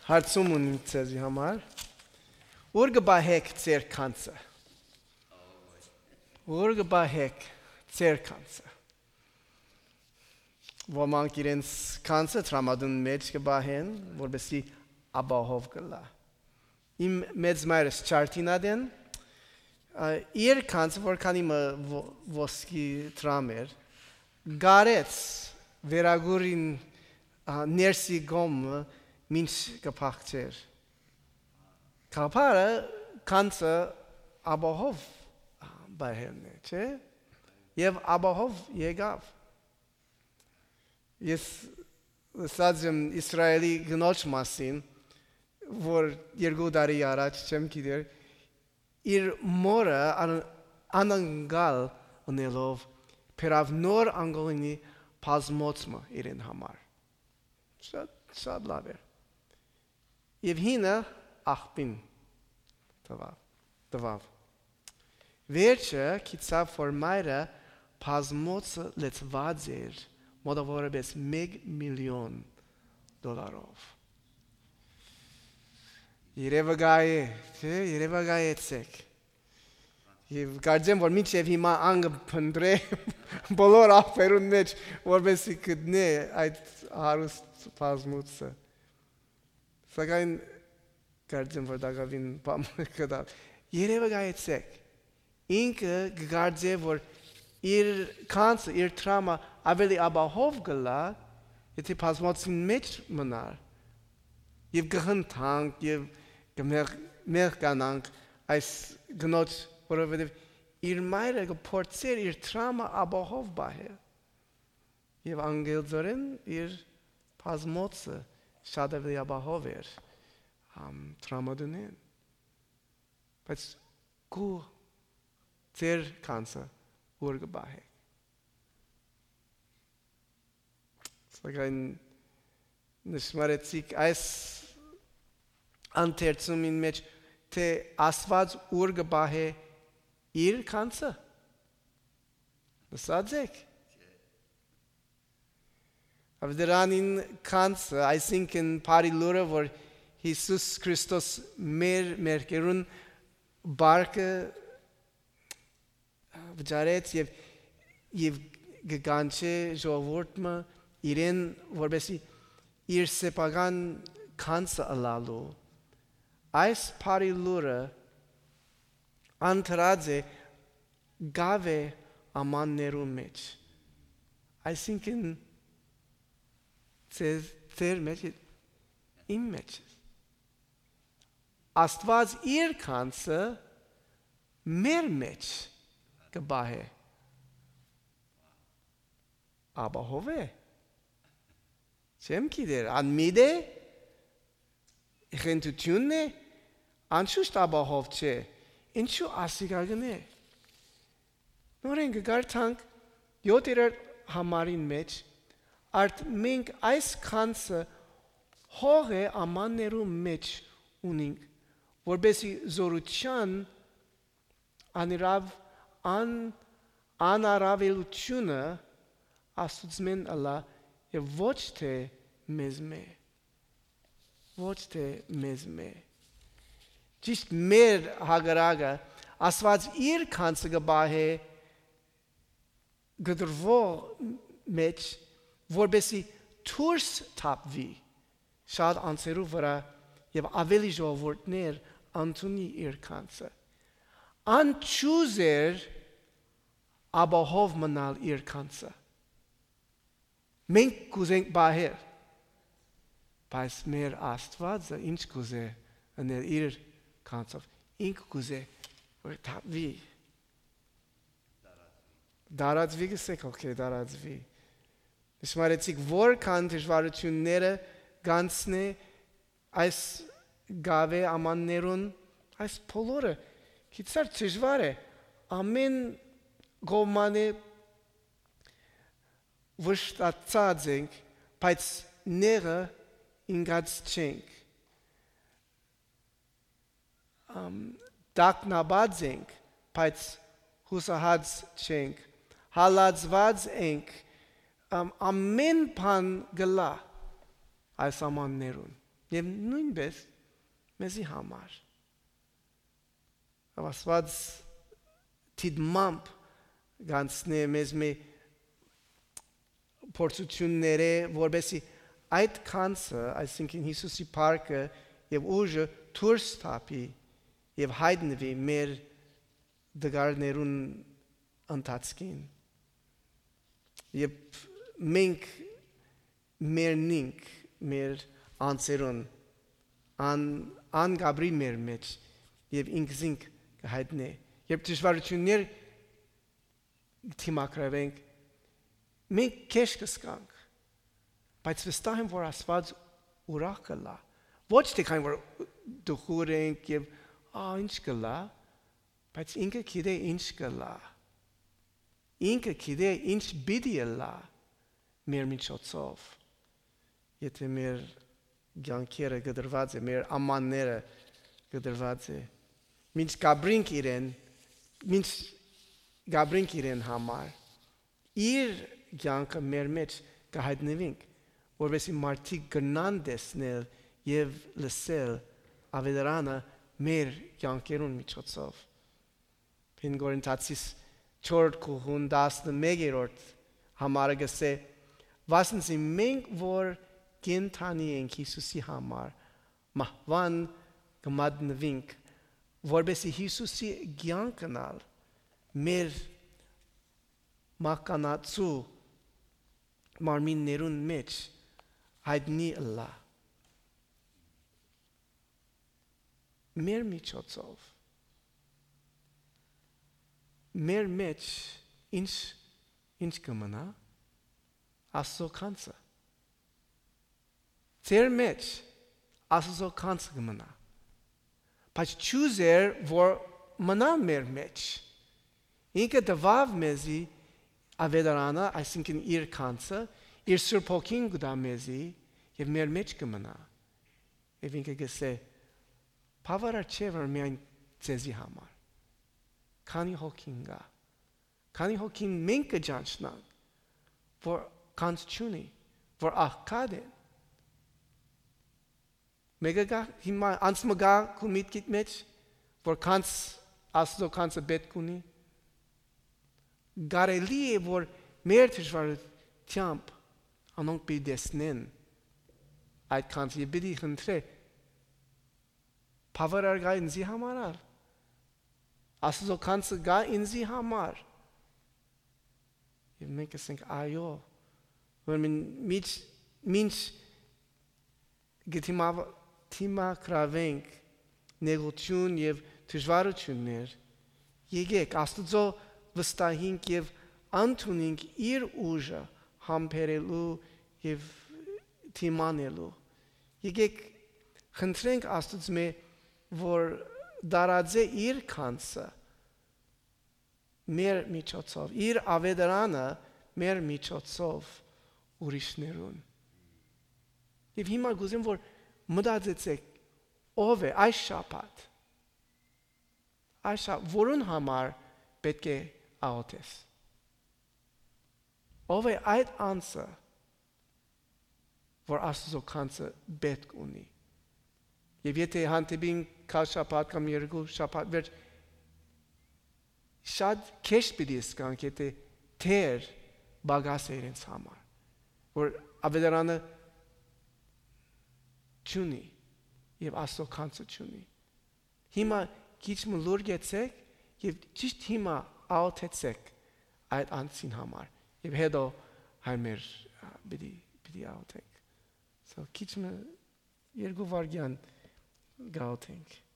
Հարցում ունիմ ձեզի համար, ուր գբահեք ձեր կանցը, ուր գբահեք ձեր կանցը, ոմանք իրենց կանցը տրամադուն մեջ գբահեն, որպեսի աբահով գլա, իմ մեծ մայրս չարտինադեն, իր կանցը, որքան իմը ոսկի տրամ էր, գարեց վերագուրին ներսի գոմը մինչ կպաղջեր, կապարը կանցը աբահով բայհելն է, չէ, և աբահով եկավ, ես ասած եմ Իսրայելի գնոջ մասին, որ 2 տարի առաջ չեմ գիտեր, իր մորը անանգալ ունելով պերավ նոր անգոլինի պազմոցմը իրեն համար, շատ լավ էր, և հինը աղբին տվավ, վերջը կիցավ, որ մայրը պազմոցը լեցված էր մոտավորապես $1 միլիոն, երևակայեցեք, և կարծեմ, որ մինչև հիմա անգը պնդրե բոլոր աղբերուն մեջ, որպեսի գտնե այդ հարուստ պազմոցը, սակայն կարծեմ, որ դակավին պամը կտավ, երևակայեցեք, ինքը գկարծե, որ իր կանցը, իր տրամը ավելի աբահով գլա, եթե պազմոցին մեջ մնար, և գհնթանք, և կմեղկանանք այս գնոջ, որովհետև իր մայրը կփորձեր իր տրամը աբահով բահել, և անգելձորեն իր պազմոցը շատ ավելի աբահով էր տրամադունեն, բայց կու ձեր կանցը ուր կբահեք, սակայն նշմարեցիք այս անթերցումին մեջ, թե Աստված ուր կբահե իր կանցը, լսած եք, ավդրանին կանցը, այսինքն բարի լուրը, որ Հիսուս Քրիստոս մեր մերկերուն բարկը վճարեց և գկանչե ժողովուրդը իրեն, որպեսի իր սեփական կանցը ըլալու, այս բարի լուրը անտրած է գավե ամաններու մեջ, այսինքն ձեր մեջ, իմ մեջ, Աստված իր կանցը մեր մեջ կբահե, աբահով է, չեմ գիտեր, անմիտ է, խենթությունն է, անշուշտ աբահով չէ, ինչու ասիկագն է, նորեն կգարթանք 7-րդ համարին մեջ, արդ մենք այս կանցը հող է ամաններու մեջ ունինք, որպեսի զորության անարավելությունը Աստուծմեն ըլա և ոչ թե մեզ մե, ոչ թե մեզ մե, ճիշտ մեր հագարագը Աստված իր կանցը կբահե գդրվող մեջ, որպեսի թուրս թապվի շատ անցերու վրա և ավելի ժողովուրդներ անցունի իր կանցը, անչուզ էր աբահով մնալ իր կանցը, մենք կուզենք բահել, բայց մեր Աստվածը ինչ կուզե ընել իր կանցով, ինք կուզե, որ թապվի, դարածվի գսեք, դարածվի, նշմարեցիք, որքան դժվարությունները գանցնե այս գավե ամաններուն, այս բոլորը քիծար դժվար է, ամեն գոմանը վշտացած ենք, բայց նեղը ինգած չենք, դակնաբած ենք, բայց հուսահած չենք, հալածված ենք, ամեն բան գլա այս ամաններուն, Եվ նույնպես մեզի համար։ Աստված թիդմամբ գանցնե մեզ մի փորձությունները, որբեսի այդ քանսը, այսինքն Հիսուսի փառքը եւ ուժը դուրս թափի եւ հայտնվի մեր դգարներուն ընթացքին։ Եվ մենք մերնինք մեր անձերուն անգաբրի մեր մեջ եւ ինքզինք կհայտնե։ Երբ դժվարություններ թիմակրվենք, մենք քեշ կսկանք, բայց վստահ եմ, որ Աստված ուրախ կլա։ Ոչ թե քան որ դուխուր ենք եւ ինչ կլա, բայց ինքը գիտե ինչ կլա։ Ինքը գիտե ինչ պիտի լա մեր միջոցով։ Եթե մեր ցանկերը գդրված է, մեր ամանները գդրված է, մինչ գաբրինք իրեն համար, իր ցանկը մեր մեջ կհայտնվենք, որովհետեւ մարդիկ գնան տեսնել եւ լսել ավետարանը մեր ցանկերուն միջոցով։ Փին Կորինթացիս 4:11 համարը գսե, վասնզի մենք որ կենթանի ենք Հիսուսի համար, մահվան կմատնվենք, որբեսի Հիսուսի ցանկնալ մեր մականացու մարմիններուն մեջ հայտնի լա։ Մեր միջոցով մեր մեջ ինչ կմնա Աստծո քանսը։ Ձեր մեջ Աստծո քանսը կմնա։ Բայց ճուզեր որ մնա մեր մեջ։ Ինքը տվավ մեզի ավետարանը, այսինքն իր քանսը, իր Սուրբ Հոգին կտա մեզի եւ մեր մեջ կմնա։ Եվ ինքը գսե բավարար չէ որ միայն ձեզի համար։ Քանի հոգին գա։ Քանի հոգին մենք կճանչնանք, որ քանս չունի, որ աղքատ է։ Մեկը գա հիմա անցմը գա քու միտքիդ մեջ, որ քանս Աստծո քանսը պետք ունի։ Գարելի է որ մեր դժվարությամբ անոնք պիտի տեսնեն այդ քանսը եւ պիտի խնդրե բավարար գա ինձի համար։ Աստծո քանսը գա ինձի համար։ Եվ մենք ասենք այո, որ մինչ գտիմակրավենք նեղություն եւ դժվարություններ, եկեք Աստծո վստահենք եւ ընդունենք իր ուժը համբերելու եւ թիմանելու։ Եկեք խնդրենք Աստծո որ դարաձե իր քանսը մեր միջոցով, իր ավետարանը մեր միջոցով ուրիշներուն։ Եվ հիմա գուզեմ որ մտածեցեք ով է այս շաբաթ, որուն համար պետք է աղոթես։ Ով է այդ անձը, որ Աստծո քանսը պետք ունի։ Եվ եթե հանդիպին քաշ շաբաթ կամ երկու շաբաթ վերջ շատ քեշ պիտի սկանք, եթե թեր բագաս է իրենց համար, որ ավետարանը չունի եւ Աստծո քանսը չունի։ Հիմա քիչ լուր գեցեք եւ ճիշտ հիմա աղոթեցեք այդ անձին համար եւ հետո հայմեր պիտի աղոթենք։ So քիչ երկու վարդյան գաղոթենք։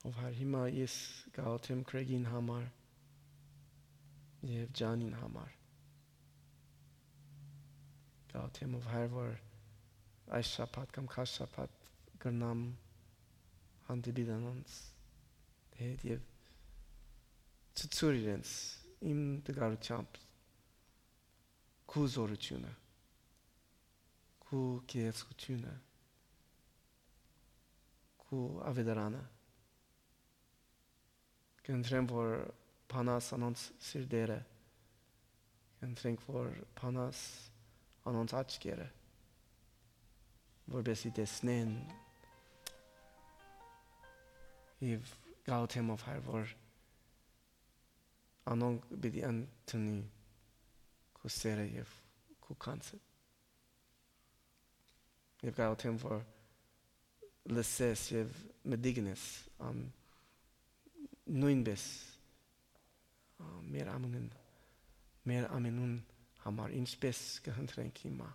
Ով հիմա ես գաղութեմ Քրեգին համար եւ Ջանին համար։ Գաղութեմ ով որ այս շաբաթ կամ քաշ շաբաթ կրնամ հանդիպել անոնց հետ եւ ցույցել իրենց իմ դգարությամբ քու զորությունը քու գեղեցկությունը քու ավետարանը կընտրեմ որ փանաս անոնց սիրտերը կընտրենք որ փանաս անոնց աչքերը որպեսզի տեսնեն եւ գաղութեմով հայր որ անոնք պիտի անտնի քու սերը եւ քու կանցը եւ գաղութեմ որ լսես եւ մդիգնես նույնպես մեր ամենուն համար ինչպես կհնդրենք հիմա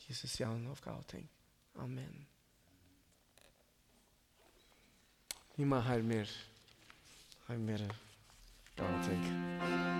Հիսուսի անունով գաղութենք ամեն հիմա հայր մեր գաղութենք